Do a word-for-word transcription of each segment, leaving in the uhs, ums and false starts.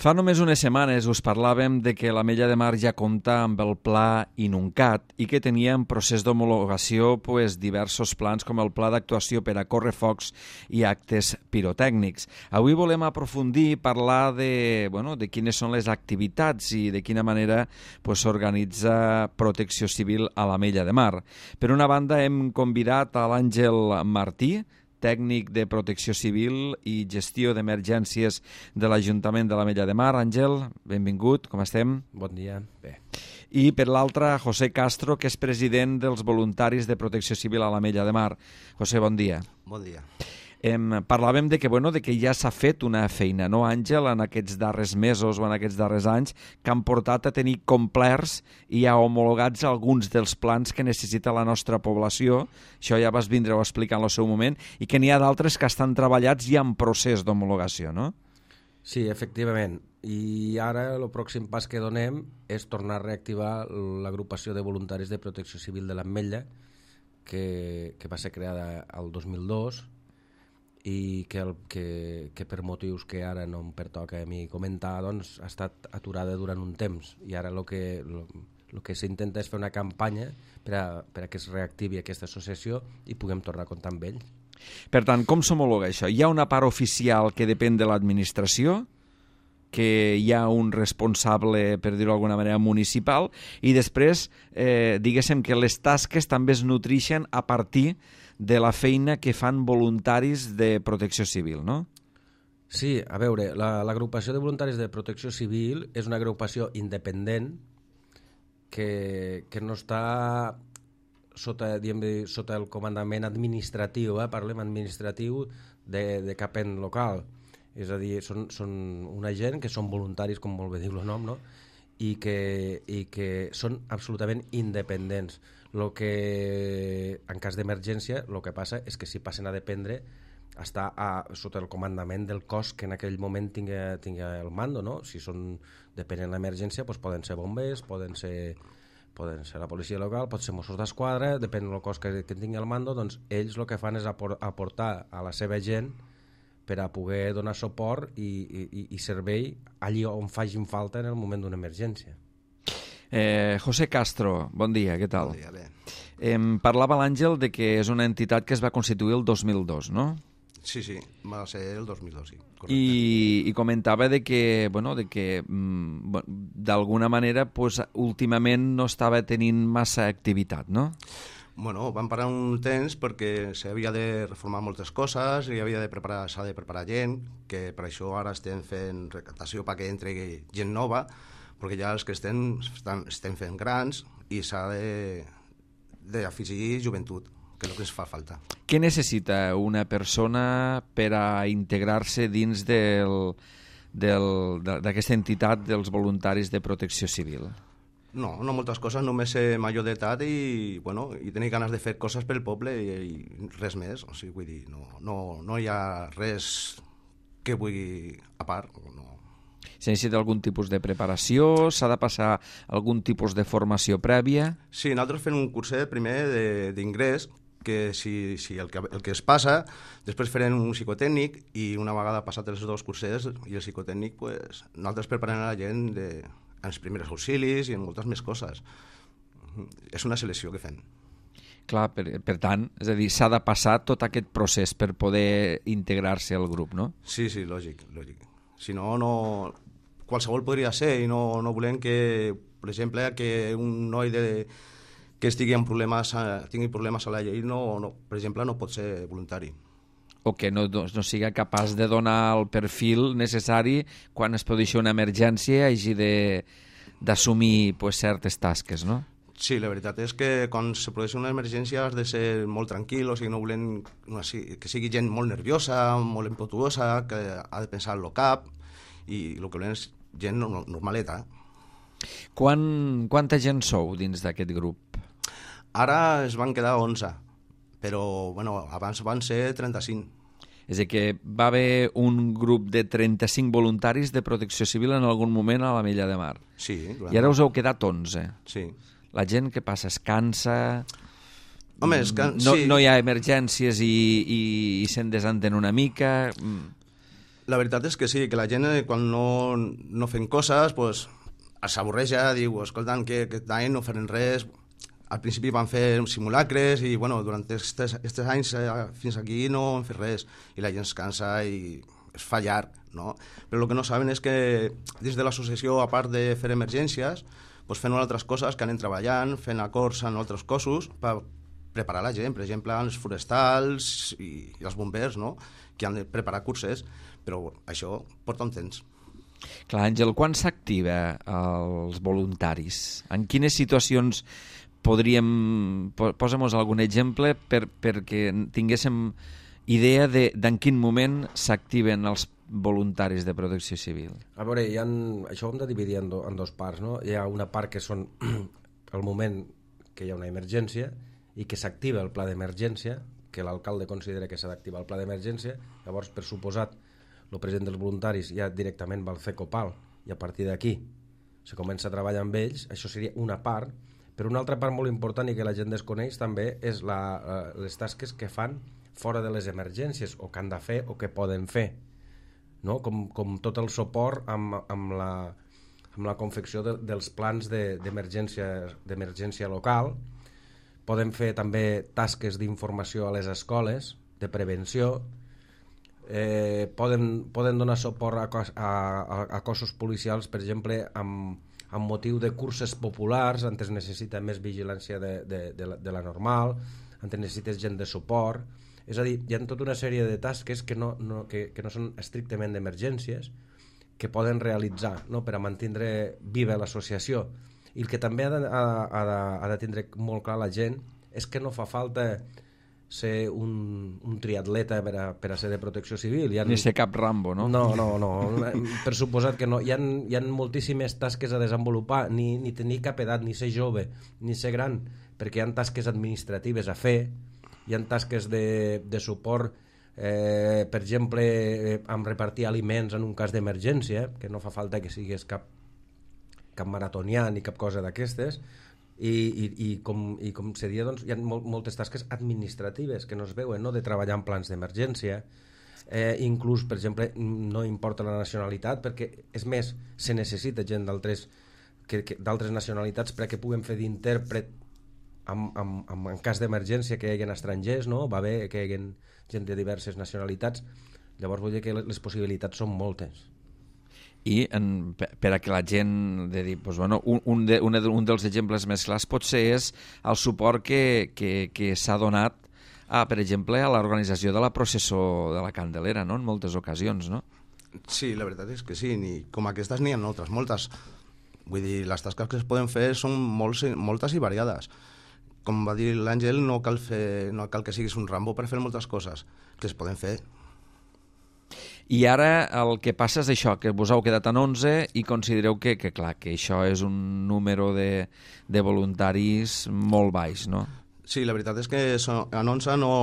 Fa només unes setmanes us parlàvem de que l'Ametlla de Mar ja compta amb el pla INUNCAT i que tenia en procés d'homologació pues, diversos plans com el pla d'actuació per a correfocs i actes pirotècnics. Avui volem aprofundir i parlar de, bueno, de quines són les activitats i de quina manera pues, s'organitza Protecció Civil a l'Ametlla de Mar. Per una banda hem convidat a l'Àngel Martí, tècnic de Protecció Civil i Gestió d'Emergències de l'Ajuntament de l'Ametlla de Mar. Àngel, benvingut, com estem? Bon dia. Bé. I per l'altra, José Castro, que és president dels voluntaris de Protecció Civil a l'Ametlla de Mar. José, bon dia. Bon dia. Em, parlàvem de que, bueno, de que ja s'ha fet una feina, no, Àngel, en aquests darrers mesos o en aquests darrers anys, que han portat a tenir complerts i a homologats alguns dels plans que necessita la nostra població. Això ja vas vindre a explicar en el seu moment, i que n'hi ha d'altres que estan treballats i en procés d'homologació, no? Sí, efectivament. I ara el pròxim pas que donem és tornar a reactivar l'agrupació de voluntaris de Protecció Civil de l'Ametlla, que, que va ser creada el dos mil dos, i que, el, que, que per motius que ara no em pertoca a mi comentar, doncs, ha estat aturada durant un temps, i ara el que, lo, lo que s'intenta és fer una campanya per a, per a que es reactivi aquesta associació i puguem tornar a comptar amb ells. Per tant, com s'homologa això? Hi ha una part oficial que depèn de l'administració, que hi ha un responsable, per dir-ho d'alguna manera, municipal, i després, eh, diguéssim que les tasques també es nutreixen a partir de la feina que fan voluntaris de Protecció Civil, no? Sí, a veure, l'agrupació la, de voluntaris de Protecció Civil és una agrupació independent que, que no està sota, diguem, sota el comandament administratiu, eh? Parlem administratiu de, de cap en local. És a dir, són, són una gent que són voluntaris, com molt bé diu el nom, no? I que, i que són absolutament independents. Lo que, en cas d'emergència, el que passa és que si passen a dependre està a, sota el comandament del cos que en aquell moment tingui, tingui el mando, no? Si són, depenent de l'emergència, doncs poden ser bombers, poden ser, poden ser la policia local, pot ser Mossos d'Esquadra, depèn del cos que, que tingui el mando, doncs ells el que fan és aportar a la seva gent per a poder donar suport i, i, i servei allí on facin falta en el moment d'una emergència. Eh, José Castro, bon dia, què tal? Bon dia, bé. Eh, parlava l'Àngel de que és una entitat que es va constituir el dos mil dos, no? Sí, sí, va ser el dos mil dos, sí. Correcte. I, i comentava de que, bueno, de que mm, d'alguna manera pues, últimament no estava tenint massa activitat, no? Bueno, vam parar un temps perquè s'havia de reformar moltes coses i havia de preparar, s'ha de preparar gent, que per això ara estem fent recaptació perquè entri gent nova, perquè ja els que estem, estan, estem fent grans i s'ha d'afegir joventut, que és el que ens fa falta. Què necessita una persona per a integrar-se dins del, del, d'aquesta entitat dels voluntaris de Protecció Civil? No, no moltes coses, només ser major d'edat i, bueno, i tenir ganes de fer coses pel poble i, i res més. O sigui, vull dir, no, no, no hi ha res que vulgui a part, no. S'ha necessita algun tipus de preparació? S'ha de passar algun tipus de formació prèvia? Sí, nosaltres fem un curset primer d'ingrés, que si, si el, que el que es passa, després farem un psicotècnic i una vegada passat els dos cursets i el psicotècnic, pues, nosaltres preparem a la gent de, en els primers auxilis i en moltes més coses. És una selecció que fem. Clar, per, per tant, és a dir, s'ha de passar tot aquest procés per poder integrar-se al grup, no? Sí, sí, lògic, lògic. Si no, no... qualsevol podria ser i no, no volem que, per exemple, que un noi de, que estigui amb problemes, tingui problemes a la llei, no, no, per exemple, no pot ser voluntari. O que no, no, no siga capaç de donar el perfil necessari quan es produeixi una emergència i hagi d'assumir pues, certes tasques, no? Sí, la veritat és que quan se produeix una emergència has de ser molt tranquil, o sigui, no volem que sigui gent molt nerviosa, molt impetuosa, que ha de pensar en el cap, i el que volem és gent normaleta. Quan, quanta gent sou dins d'aquest grup? Ara es van quedar onze, però bueno, abans van ser trenta-cinc. És a dir, que va haver un grup de trenta-cinc voluntaris de Protecció Civil en algun moment a l'Ametlla de Mar. Sí, clar. I ara us heu quedat onze. Sí. La gent que passa es cansa... Home, és que... no, sí. no hi ha emergències i, i, i se'n desenten una mica... La veritat és que sí, que la gent quan no, no fem coses pues, s'avorreja, diu, escoltant, que aquest any no farem res. Al principi van fer simulacres i bueno, durant aquests anys eh, fins aquí no han fet res i la gent es cansa i es fa llarg, no? Però el que no saben és que dins de l'associació, a part de fer emergències, pues, fem altres coses que anem treballant, fent acords en altres cossos per preparar la gent, per exemple, els forestals i, i els bombers, no? Que han de preparar curses, però això porta un temps. Clar, Àngel, quan s'activa els voluntaris? En quines situacions podríem... Posa'm algun exemple per, perquè tinguéssim idea de d'en quin moment s'activen els voluntaris de protecció civil. A veure, hi ha, això ho hem de dividir en, do, en dos parts, no? Hi ha una part que són el moment que hi ha una emergència i que s'activa el pla d'emergència, que l'alcalde considera que s'ha d'activar el pla d'emergència, llavors, per suposat, el president dels voluntaris ja directament va al CECOPAL i a partir d'aquí se comença a treballar amb ells. Això seria una part, però una altra part molt important i que la gent desconeix també és la, les tasques que fan fora de les emergències o que han de fer o que poden fer, no? com, com tot el suport amb, amb, la, amb la confecció de, dels plans d'emergència de, d'emergència local. Poden fer també tasques d'informació a les escoles, de prevenció, eh, poden, poden donar suport a, cos, a, a, a cossos policials, per exemple, amb, amb motiu de curses populars, on es necessita més vigilància de, de, de, la, de la normal, on es necessita gent de suport. És a dir, hi ha tota una sèrie de tasques que no, no, que, que no són estrictament d'emergències, que poden realitzar, no?, per a mantenir viva l'associació. I el que també ha de, ha, ha, de, ha de tindre molt clar la gent és que no fa falta ser un, un triatleta per a, per a ser de protecció civil. Ha... Ni ser cap Rambo, no? No, no, no. Per suposat que no. Hi ha, hi ha moltíssimes tasques a desenvolupar, ni, ni tenir cap edat, ni ser jove, ni ser gran, perquè hi ha tasques administratives a fer, hi ha tasques de, de suport, eh, per exemple, eh, amb repartir aliments en un cas d'emergència, que no fa falta que siguis cap, cap maratonià ni cap cosa d'aquestes, i, i, i, com, i com seria, doncs, hi ha mol, moltes tasques administratives que no es veuen, no?, de treballar en plans d'emergència, eh, inclús, per exemple, no importa la nacionalitat, perquè, és més, se necessita gent d'altres que, que, d'altres nacionalitats perquè puguen fer d'intèrpret Amb, amb, amb, en cas d'emergència que hi hagi estrangers, no? Va bé que hi hagi gent de diverses nacionalitats. Llavors vull dir que les possibilitats són moltes. I en, per a que la gent de dir, doncs, bueno, un, un, de, un, un dels exemples més clars potser és el suport que, que, que s'ha donat a, per exemple, a l'organització de la processó de la Candelera, no?, en moltes ocasions, no? Sí, la veritat és que sí, ni, com aquestes n'hi ha altres, moltes. Vull dir, les tasques que es poden fer són molts, moltes i variades. Com va dir l'Àngel, no cal fer, no cal que siguis un Rambo per fer moltes coses que es poden fer. I ara el que passa és això, que vos heu quedat en onze i considereu que, que clar, que això és un número de, de voluntaris molt baix, no? Sí, la veritat és que en onze no,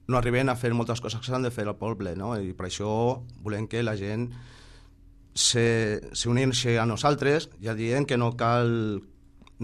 no arriben a fer moltes coses que s'han de fer al poble, no? I per això volem que la gent s'uneixi a nosaltres, ja dient que no cal,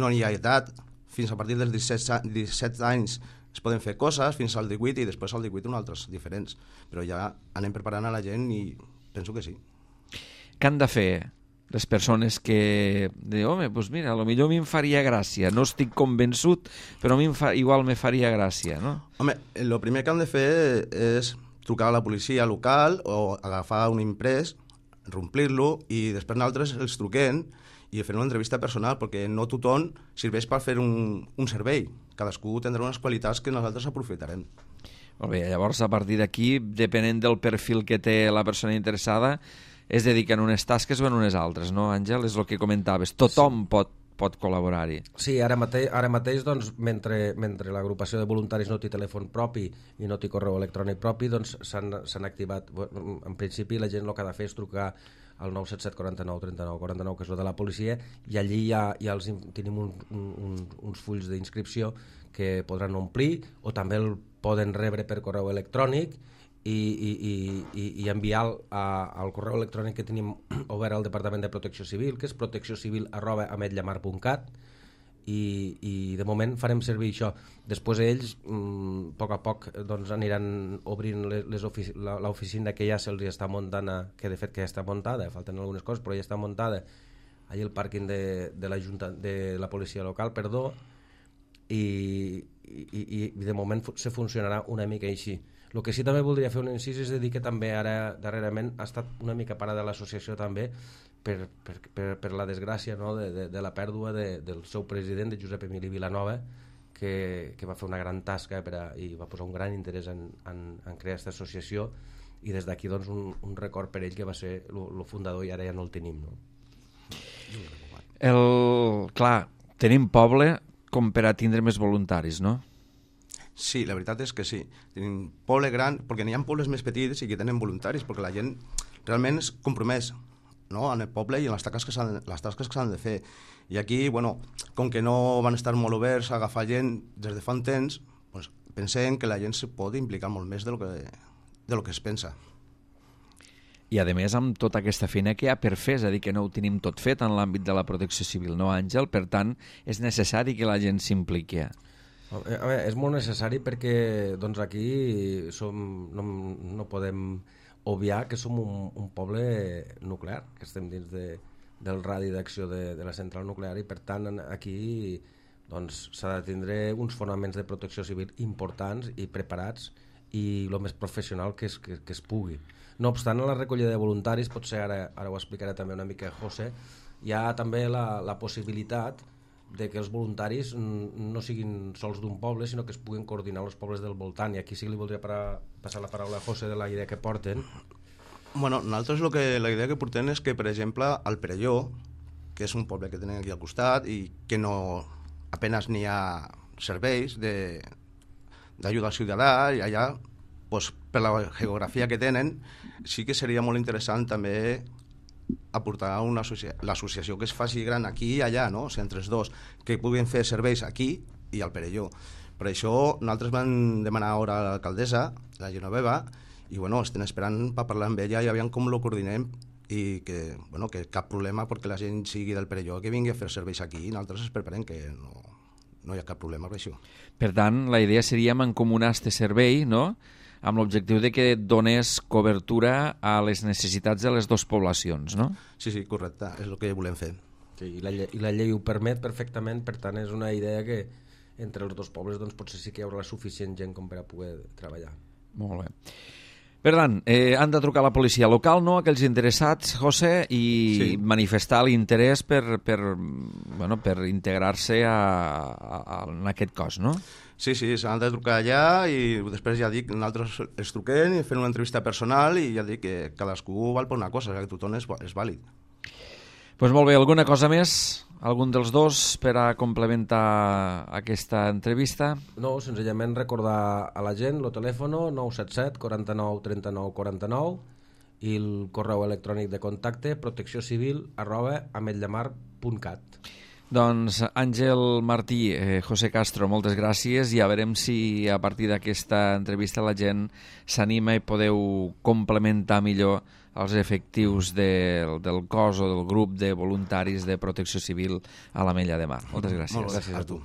no hi ha edat, fins a partir dels disset anys es poden fer coses, fins al divuit i després al divuit un altres diferents, però ja anem preparant a la gent i penso que sí. Què han de fer les persones que diuen, home, doncs mira, potser a mi em faria gràcia, no estic convençut, però a mi fa, igual me faria gràcia, no? Home, el primer que han de fer és trucar a la policia local o agafar un imprès, romplir-lo i després nosaltres els truquem i fer una entrevista personal, perquè no tothom serveix per fer un, un servei. Cadascú tindrà unes qualitats que nosaltres aprofitarem. Molt bé, llavors a partir d'aquí, depenent del perfil que té la persona interessada, es dediquen unes tasques o en unes altres, no, Àngel? És el que comentaves. Tothom sí. pot, pot col·laborar-hi. Sí, ara mateix, ara mateix doncs, mentre, mentre l'agrupació de voluntaris no té telèfon propi i no té correu electrònic propi, doncs s'han activat. En principi la gent el que ha de fer és trucar al nou set set quatre nou tres nou quatre nou, que és el de la policia, i allí ja, ja els, tenim un, un, uns fulls d'inscripció que podran omplir o també el poden rebre per correu electrònic i, i, i, i enviar a, al correu electrònic que tenim obert al Departament de Protecció Civil, que és protecció civil arroba ametlla mar punt cat, i, i de moment farem servir això. Després ells, a poc a poc, doncs, aniran obrint l'oficina que ja se'ls està muntant, que de fet que ja està muntada, falten algunes coses, però ja està muntada allà al pàrquing de, de, la Junta, de la policia local, perdó, i, i, i de moment se funcionarà una mica així. El que sí també voldria fer un incís és de dir que també ara darrerament ha estat una mica parada l'associació també per, per, per, per la desgràcia, no? de, de, de la pèrdua de, del seu president, de Josep Emili Vilanova, que, que va fer una gran tasca per a, i va posar un gran interès en, en, en crear aquesta associació, i des d'aquí doncs, un, un record per ell que va ser el fundador i ara ja no el tenim. No? El, clar, tenim poble com per a tindre més voluntaris, no? Sí, la veritat és que sí. Tenim poble gran, perquè n'hi ha pobles més petits i que tenen voluntaris, perquè la gent realment és compromès, no? En el poble i en les tasques que s'han, les tasques que s'han de fer. I aquí, bueno, com que no van estar molt oberts a agafar gent des de fa un temps, doncs pensem que la gent se pot implicar molt més de lo que, de lo que es pensa. I a més amb tota aquesta feina que hi ha per fer, és a dir, que no ho tenim tot fet en l'àmbit de la protecció civil, no, Àngel? Per tant, és necessari que la gent s'impliqui. A veure, és molt necessari perquè doncs, aquí som, no, no podem obviar que som un, un poble nuclear, que estem dins de, del radi d'acció de, de la central nuclear, i per tant aquí doncs, s'ha de tindre uns fonaments de protecció civil importants i preparats i el més professional que es, que, que es pugui. No obstant, a la recollida de voluntaris, potser ara, ara ho explicaré també una mica José, hi ha també la, la possibilitat de que els voluntaris no siguin sols d'un poble, sinó que es puguin coordinar els pobles del voltant, i aquí sí que li voldria parar, passar la paraula a José de la idea que porten. Bueno, nosaltres lo que, la idea que portem és que, per exemple, al Perelló, que és un poble que tenen aquí al costat i que no apenas n'hi ha serveis d'ajuda al ciutadà, i allà, pues, per la geografia que tenen, sí que seria molt interessant també aportar una associa... l'associació que es faci gran aquí i allà, no? O sigui, entre els dos, que puguin fer serveis aquí i al Perelló. Per això nosaltres vam demanar ara a l'alcaldessa, la Genoveva, i bueno, estem esperant per parlar amb ella i aviam com lo coordinem, i que, bueno, que cap problema perquè la gent sigui del Perelló que vingui a fer serveis aquí, i nosaltres ens preparem que no, no hi ha cap problema per això. Per tant, la idea seria mancomunar este servei, no?, amb l'objectiu de que donés cobertura a les necessitats de les dues poblacions, no? Sí, sí, correcte, és el que volem fer. Sí, i, la llei, i la llei ho permet perfectament, per tant és una idea que entre els dos pobles doncs, potser sí que hi haurà suficient gent com per a poder treballar. Molt bé. Per tant, eh, han de trucar a la policia local, no?, aquells interessats, José, i sí, manifestar l'interès per, per, bueno, per integrar-se a, a, a, en aquest cos, no? Sí, sí, s'han de trucar allà i després ja dic, nosaltres els truquem i fem una entrevista personal i ja dic que cadascú val per una cosa, que tothom és, és vàlid. Doncs pues molt bé, alguna cosa més? Algun dels dos per a complementar aquesta entrevista? No, senzillament recordar a la gent el telèfon nou set set, quaranta-nou, trenta-nou, quaranta-nou i el correu electrònic de contacte protecciocivil arroba ametllamar punt cat. Doncs Àngel Martí, eh, José Castro, moltes gràcies, i a veurem si a partir d'aquesta entrevista la gent s'anima i podeu complementar millor els efectius del, del cos o del grup de voluntaris de protecció civil a l'Ametlla de Mar. Moltes gràcies. Molt gràcies a tu.